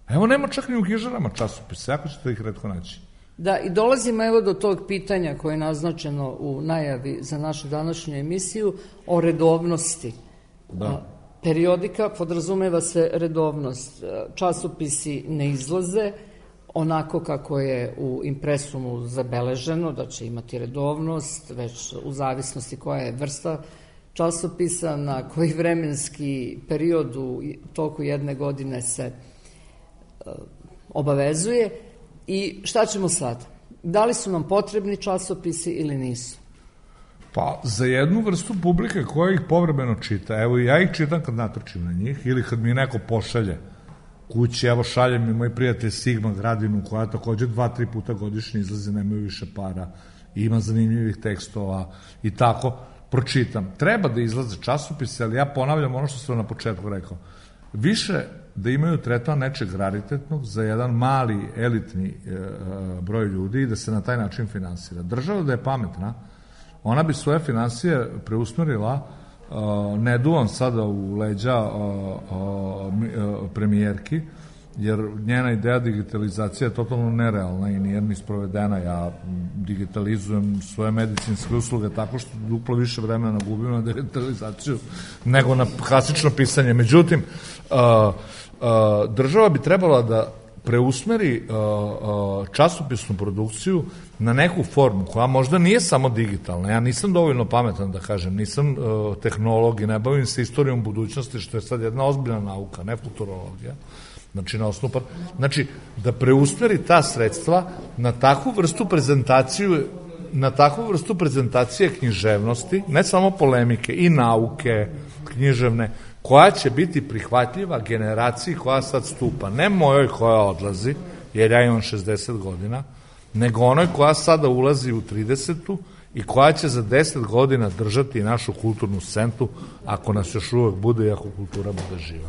evo nema čak ni u knjižarama časopisa, jako ćete ih retko naći. Da, i dolazimo evo do tog pitanja koje je naznačeno u najavi za našu današnju emisiju o redovnosti. Da. Periodika podrazumeva se redovnost. Časopisi ne izlaze onako kako je u impresumu zabeleženo, da će imati redovnost, već u zavisnosti koja je vrsta časopisa, na koji vremenski period u toku jedne godine se obavezuje. I šta ćemo sad? Da li su nam potrebni časopisi ili nisu? Pa, za jednu vrstu publike koja ih povremeno čita, evo ja ih čitam kad natrčim na njih, ili kad mi neko pošalje kući, evo šalje mi moj prijatelj Sigma Gradinu, koja takođe dva, tri puta godišnje izlazi, nemaju više para, ima zanimljivih tekstova i tako, pročitam. Treba da izlaze časopise, ali ja ponavljam ono što sam na početku rekao. Više da imaju tretman nečeg raritetnog za jedan mali, elitni e, broj ljudi i da se na taj način finansira. Država da je pametna, ona bi svoje finansije preusmerila, e, ne duvam sada u leđa e, e, premijerki, jer njena ideja digitalizacija je totalno nerealna i nije ni sprovedena. Ja digitalizujem svoje medicinske usluge tako što duplo više vremena gubim na digitalizaciju nego na klasično pisanje. Međutim, uh, uh, država bi trebala da preusmeri uh, uh, časopisnu produkciju na neku formu koja možda nije samo digitalna. Ja nisam dovoljno pametan da kažem, nisam uh, tehnolog i ne bavim se istorijom budućnosti, što je sad jedna ozbiljna nauka, ne futurologija. Znači, na osnovu, znači, da preusmeri ta sredstva na takvu vrstu prezentaciju, na takvu vrstu prezentacije književnosti, ne samo polemike, i nauke književne, koja će biti prihvatljiva generaciji koja sad stupa. Ne mojoj koja odlazi, jer ja imam šezdeset godina, nego onoj koja sada ulazi u tridesetu i koja će za deset godina držati našu kulturnu scentu ako nas još uvek bude i ako kultura bude živa.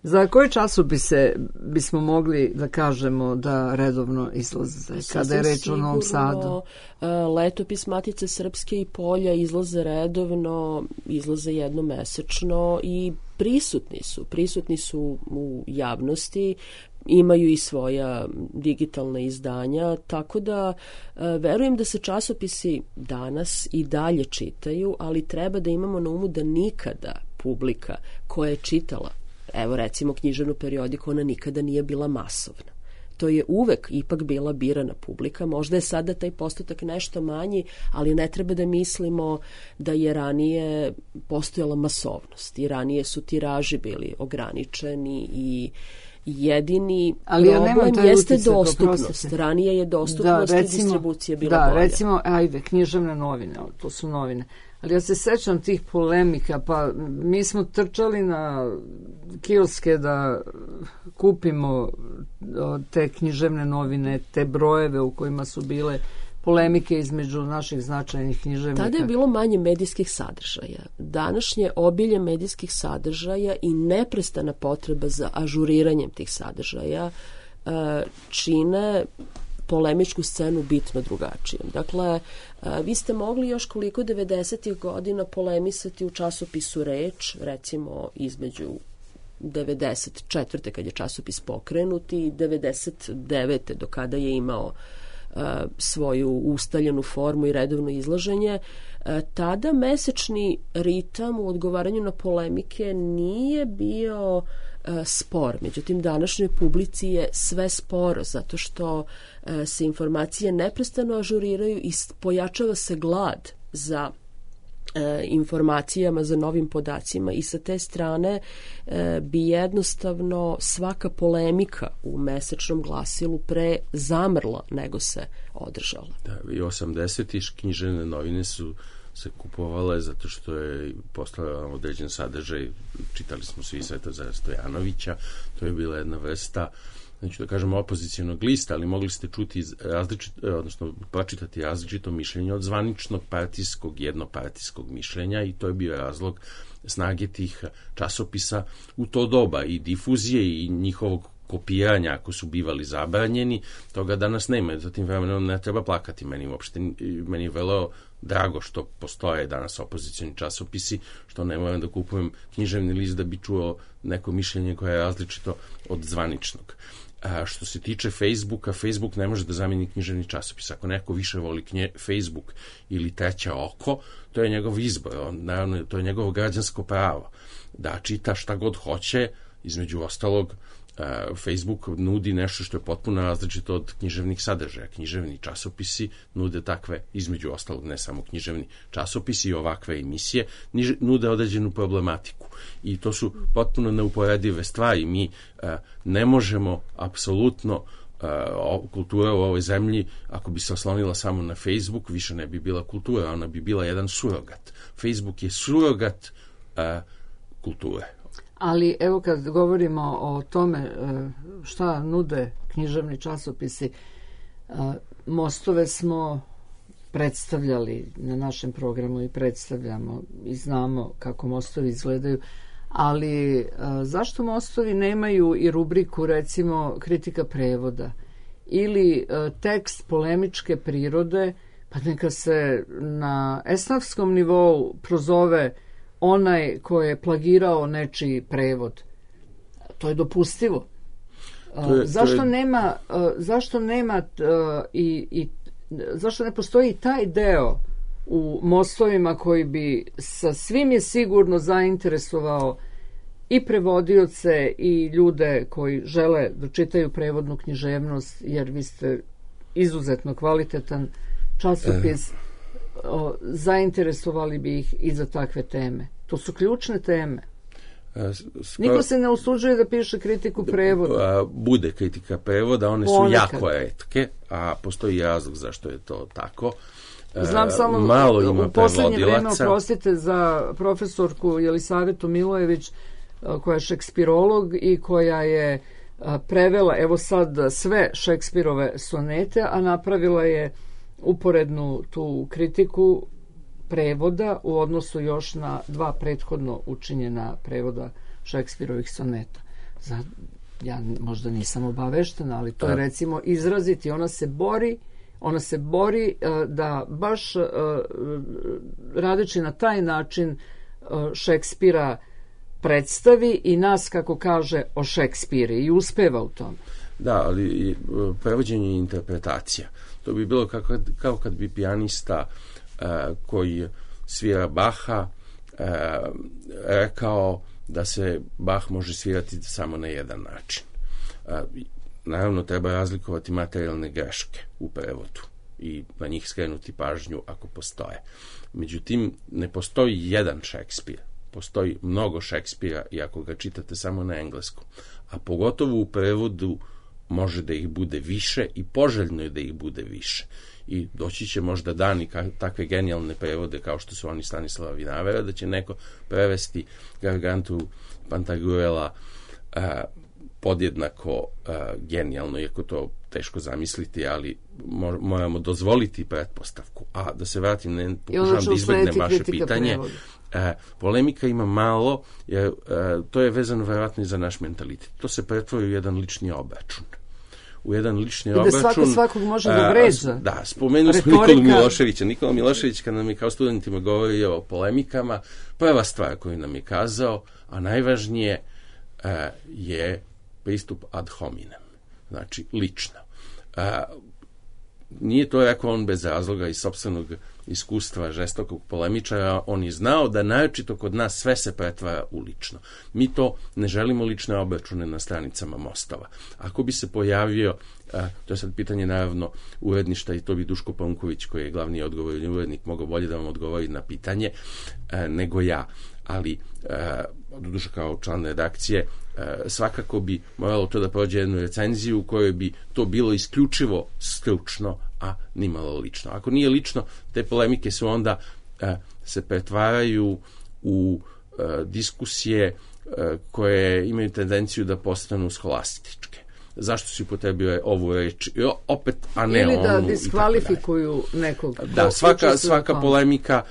Za koji časopise bismo mogli da kažemo da redovno izlaze, kada je reč o Novom Sadu? Letopis Matice Srpske i Polja izlaze redovno, izlaze jednomesečno i prisutni su, prisutni su u javnosti, imaju i svoja digitalna izdanja, tako da verujem da se časopisi danas i dalje čitaju, ali treba da imamo na umu da nikada publika koja je čitala, evo recimo književnu periodiku, ona nikada nije bila masovna. To je uvek ipak bila birana publika. Možda je sada taj postotak nešto manji, ali ne treba da mislimo da je ranije postojala masovnost i ranije su tiraži bili ograničeni i jedini ali problem ja jeste dostupnost. Ranije je dostupnost da, recimo, i distribucija bila da, bolja. Da, recimo, ajde, književne novine, to su novine. Ali ja se sećam tih polemika, pa mi smo trčali na kioske da kupimo te književne novine, te brojeve u kojima su bile polemike između naših značajnih književnika. Tada je bilo manje medijskih sadržaja. Današnje obilje medijskih sadržaja i neprestana potreba za ažuriranjem tih sadržaja čine polemičku scenu bitno drugačijom. Dakle, vi ste mogli još koliko devedesetih godina polemisati u časopisu Reč, recimo između devedeset četvrte kad je časopis pokrenut i devedeset devete do kada je imao svoju ustaljenu formu i redovno izlaženje, tada mesečni ritam u odgovaranju na polemike nije bio spor. Međutim, današnjoj publici je sve sporo, zato što se informacije neprestano ažuriraju i pojačava se glad za informacijama, za novim podacima i sa te strane bi jednostavno svaka polemika u mesečnom glasilu pre zamrla nego se održala. Da, i osamdesetih književne novine su se kupovale zato što je postojao određen sadržaj, čitali smo svi Svetozara Stojanovića, to je bila jedna vrsta, neću da kažem opozicijonog lista, ali mogli ste čuti različito, odnosno pročitati različito mišljenje od zvaničnog partijskog, jednopartijskog mišljenja i to je bio razlog snage tih časopisa u to doba i difuzije i njihovog kopiranja ako su bivali zabranjeni, toga danas nema. Zatim vremenom ne treba plakati meni uopšte. Meni je vrlo drago što postoje danas opozicioni časopisi, što ne moram da kupujem književni list da bi čuo neko mišljenje koje je različito od zvaničnog. A što se tiče Facebooka, Facebook ne može da zameni književni časopis. Ako neko više voli knje, Facebook ili Treće oko, to je njegov izbor. On, naravno, to je njegovo građansko pravo. Da čita šta god hoće, između ostalog, Facebook nudi nešto što je potpuno različito od književnih sadržaja. Književni časopisi nude takve, između ostalog ne samo književni časopisi i ovakve emisije, nude određenu problematiku. I to su potpuno neuporedive stvari. Mi ne možemo apsolutno, kultura u ovoj zemlji, ako bi se oslonila samo na Facebook, više ne bi bila kultura, ona bi bila jedan surogat. Facebook je surogat kulture. Ali evo kad govorimo o tome šta nude književni časopisi, Mostove smo predstavljali na našem programu i predstavljamo i znamo kako Mostovi izgledaju, ali zašto Mostovi nemaju i rubriku recimo kritika prevoda ili tekst polemičke prirode, pa neka se na esnafskom nivou prozove onaj ko je plagirao nečiji prevod. To je dopustivo. To je, zašto, to je... Nema, zašto nema i, i zašto ne postoji taj deo u Mostovima koji bi sa svim je sigurno zainteresovao i prevodioce i ljude koji žele da čitaju prevodnu književnost, jer vi ste izuzetno kvalitetan časopis, e. o, zainteresovali bi ih i za takve teme. To su ključne teme. A, skoro... Niko se ne usuđuje da piše kritiku prevoda. Bude kritika prevoda, one Ponekad. su jako retke, a postoji razlog zašto je to tako. Znam samo Malo ima u poslednje vreme, oprostite, za profesorku Jelisavetu Milojević, koja je šekspirolog i koja je prevela, evo sad, sve Šekspirove sonete, a napravila je uporednu tu kritiku prevoda u odnosu još na dva prethodno učinjena prevoda Šekspirovih soneta. Za, ja možda nisam obaveštena, ali to je recimo izraziti. Ona se bori ona se bori uh, da baš uh, radeći na taj način uh, Šekspira predstavi i nas, kako kaže, o Šekspiri i uspeva u tome. Da, ali prevođenje i interpretacija. To bi bilo kao kad, kao kad bi pijanista uh, koji svira Baha uh, rekao da se Bach može svirati samo na jedan način. Uh, naravno, treba razlikovati materijalne greške u prevodu i na njih skrenuti pažnju ako postoje. Međutim, ne postoji jedan Šekspir. Postoji mnogo Šekspira i ako ga čitate samo na engleskom. A pogotovo u prevodu može da ih bude više i poželjno je da ih bude više. I doći će možda dani takve genijalne prevode kao što su oni Stanislava Vinavera, da će neko prevesti Gargantu Pantagruela uh, podjednako uh, genijalno, iako to teško zamisliti, ali moramo dozvoliti pretpostavku. A da se vratim, ne pokušavam da izbegnem vaše pitanje. E, polemika ima malo, jer e, to je vezano verovatno i za naš mentalitet. To se pretvori u jedan lični obračun. U jedan lični I da obračun... svako svakog može da vređa. Da, spomenuli smo Nikolu Miloševića. Nikola Milošević, kada nam je kao studentima govorio o polemikama, prva stvar koju nam je kazao, a najvažnije e, je pristup ad hominem. Znači, lično. E, nije to rekao on bez razloga iz sopstvenog iskustva žestokog polemičara, on je znao da naročito kod nas sve se pretvara u lično. Mi to ne želimo lične obračune na stranicama mostova. Ako bi se pojavio, a, to je sad pitanje naravno uredništa i to bi Duško Panković, koji je glavni odgovorni urednik, mogao bolje da vam odgovori na pitanje a, nego ja. Ali, doduše kao član redakcije, a, svakako bi moralo to da prođe jednu recenziju u kojoj bi to bilo isključivo stručno, a nimalo lično. Ako nije lično, te polemike su onda a, se pretvaraju u a, diskusije a, koje imaju tendenciju da postanu scholastičke. Zašto si upotrebio ovu reč? I opet, a ne onu. Ili da diskvalifikuju nekog. Da, svaka, svaka polemika,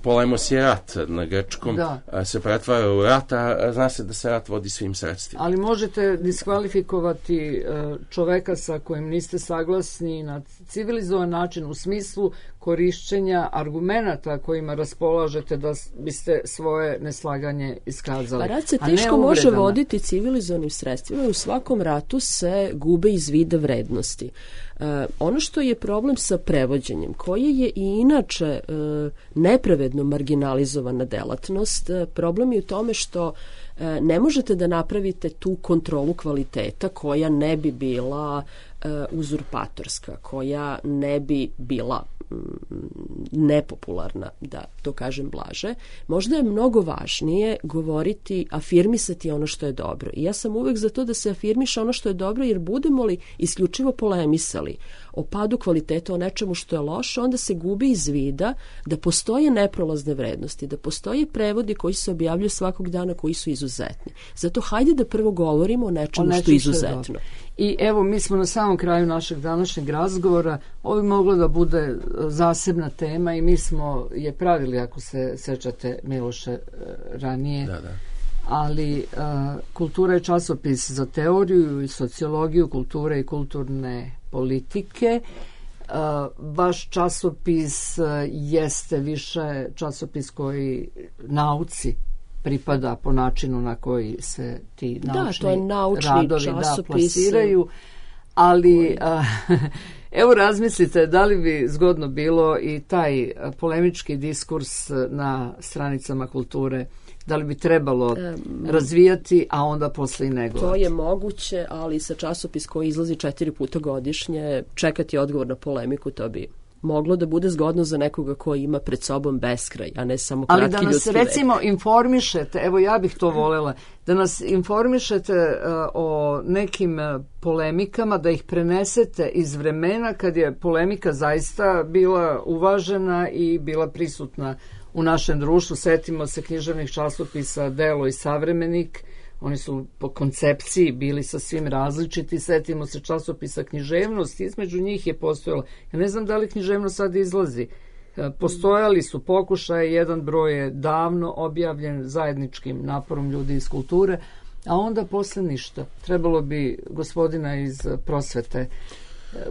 polemos je rat na grčkom, da. Se pretvara u rat, a zna se da se rat vodi svim sredstvima. Ali možete diskvalifikovati čoveka sa kojim niste saglasni na civilizovan način u smislu korišćenja argumenata kojima raspolažete da biste svoje neslaganje iskazali. Pa rat se teško može voditi civilizovanim sredstvima i u svakom ratu se gube iz vida vrednosti. E, ono što je problem sa prevođenjem, koje je i inače e, nepravedno marginalizovana delatnost, e, problem je u tome što e, ne možete da napravite tu kontrolu kvaliteta koja ne bi bila e, uzurpatorska, koja ne bi bila nepopularna, da to kažem blaže. Možda je mnogo važnije govoriti, afirmisati ono što je dobro. I ja sam uvek za to da se afirmiše ono što je dobro, jer budemo li isključivo polemisali o padu kvaliteta, o nečemu što je loše, onda se gubi iz vida da postoje neprolazne vrednosti, da postoje prevodi koji se objavljuju svakog dana koji su izuzetni. Zato hajde da prvo govorimo o nečemu, o nečemu što je izuzetno. Što je I evo, mi smo na samom kraju našeg današnjeg razgovora. Ovo bi moglo da bude zasebna tema i mi smo je pravili, ako se sećate, Miloše, ranije. Da, da. Ali a, kultura je časopis za teoriju i sociologiju kulture i kulturne politike. A, vaš časopis a, jeste više časopis koji nauci pripada po načinu na koji se ti naučni, da, to je naučni radovi da, plasiraju. Ali a, evo razmislite da li bi zgodno bilo i taj polemički diskurs na stranicama kulture, da li bi trebalo um, razvijati, a onda posle i negovati. To je moguće, ali sa časopis koji izlazi četiri puta godišnje, čekati odgovor na polemiku, to bi moglo da bude zgodno za nekoga koji ima pred sobom beskraj, a ne samo kratki ljudski vek. Ali da nas recimo vek. informišete, evo ja bih to volela, da nas informišete uh, o nekim uh, polemikama, da ih prenesete iz vremena kad je polemika zaista bila uvažena i bila prisutna u našem društvu. Setimo se književnih časopisa Delo i Savremenik, Oni su po koncepciji bili sasvim različiti. Setimo se časopisa Književnost, između njih je postojalo. Ja ne znam da li Književnost sad izlazi. Postojali su pokušaje, jedan broj je davno objavljen zajedničkim naporom ljudi iz kulture, a onda posle ništa. Trebalo bi gospodina iz prosvete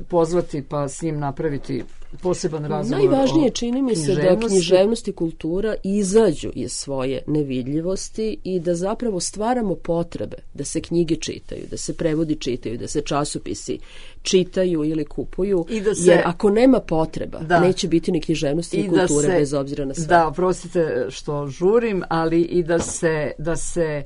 pozvati pa s njim napraviti poseban razgovor. Najvažnije čini mi se da književnost i kultura izađu iz svoje nevidljivosti i da zapravo stvaramo potrebe da se knjige čitaju, da se prevodi čitaju, da se časopisi čitaju ili kupuju, se, jer ako nema potreba, da, neće biti ni književnosti ni kulture se, bez obzira na sve. Da, oprostite što žurim, ali i da se, da se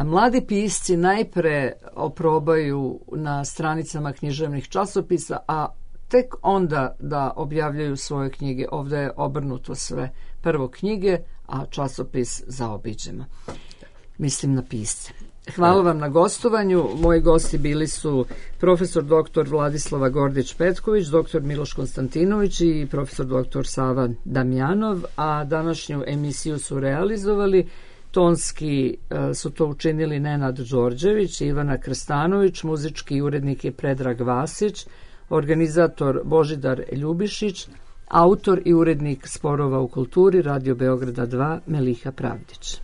mladi pisci najpre oprobaju na stranicama književnih časopisa, a tek onda da objavljaju svoje knjige. Ovdje je obrnuto sve. Prvo knjige, a časopis zaobiđemo. Mislim na pisce. Hvala vam na gostovanju. Moji gosti bili su profesor doktor Vladislava Gordić-Petković, doktor Miloš Konstantinović i profesor doktor Sava Damjanov, a današnju emisiju su realizovali tonski su to učinili Nenad Đorđević i Ivana Krstanović, muzički urednik je Predrag Vasić, organizator Božidar Ljubišić, autor i urednik Sporova u kulturi Radio Beograda dva Meliha Pravdić.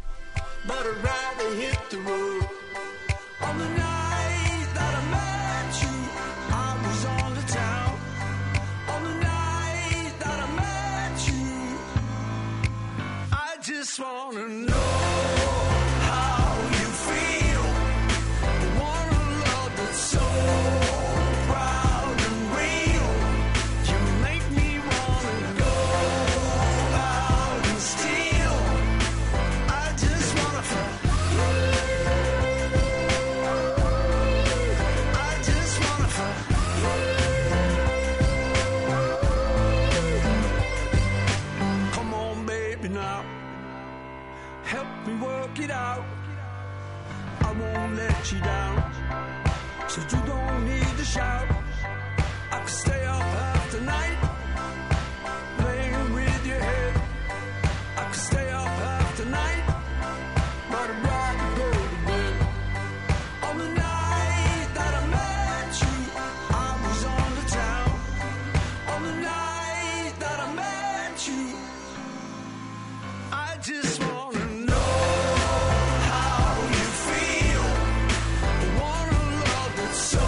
You down, so you don't need to shout. I could stay up half the night, playing with your head. I could stay up half the night, but I'd rather go to bed. On the night that I met you, I was on the town. On the night that I met you, I just wanna know how you feel. So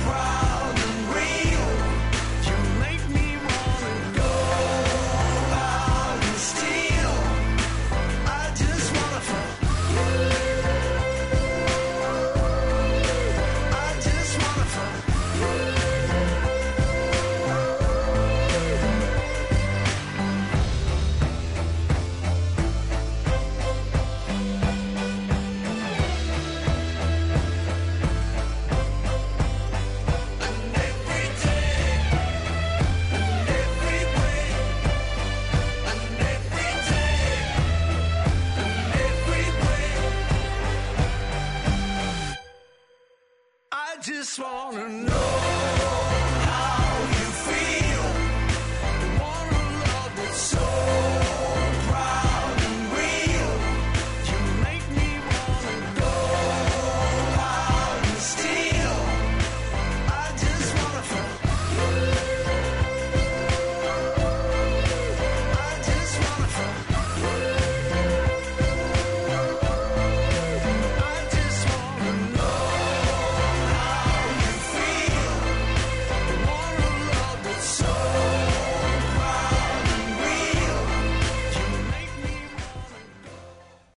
proud and real, you make me wanna go out and steal. I just wanna fuck you. I just wanna fuck you. Just wanna know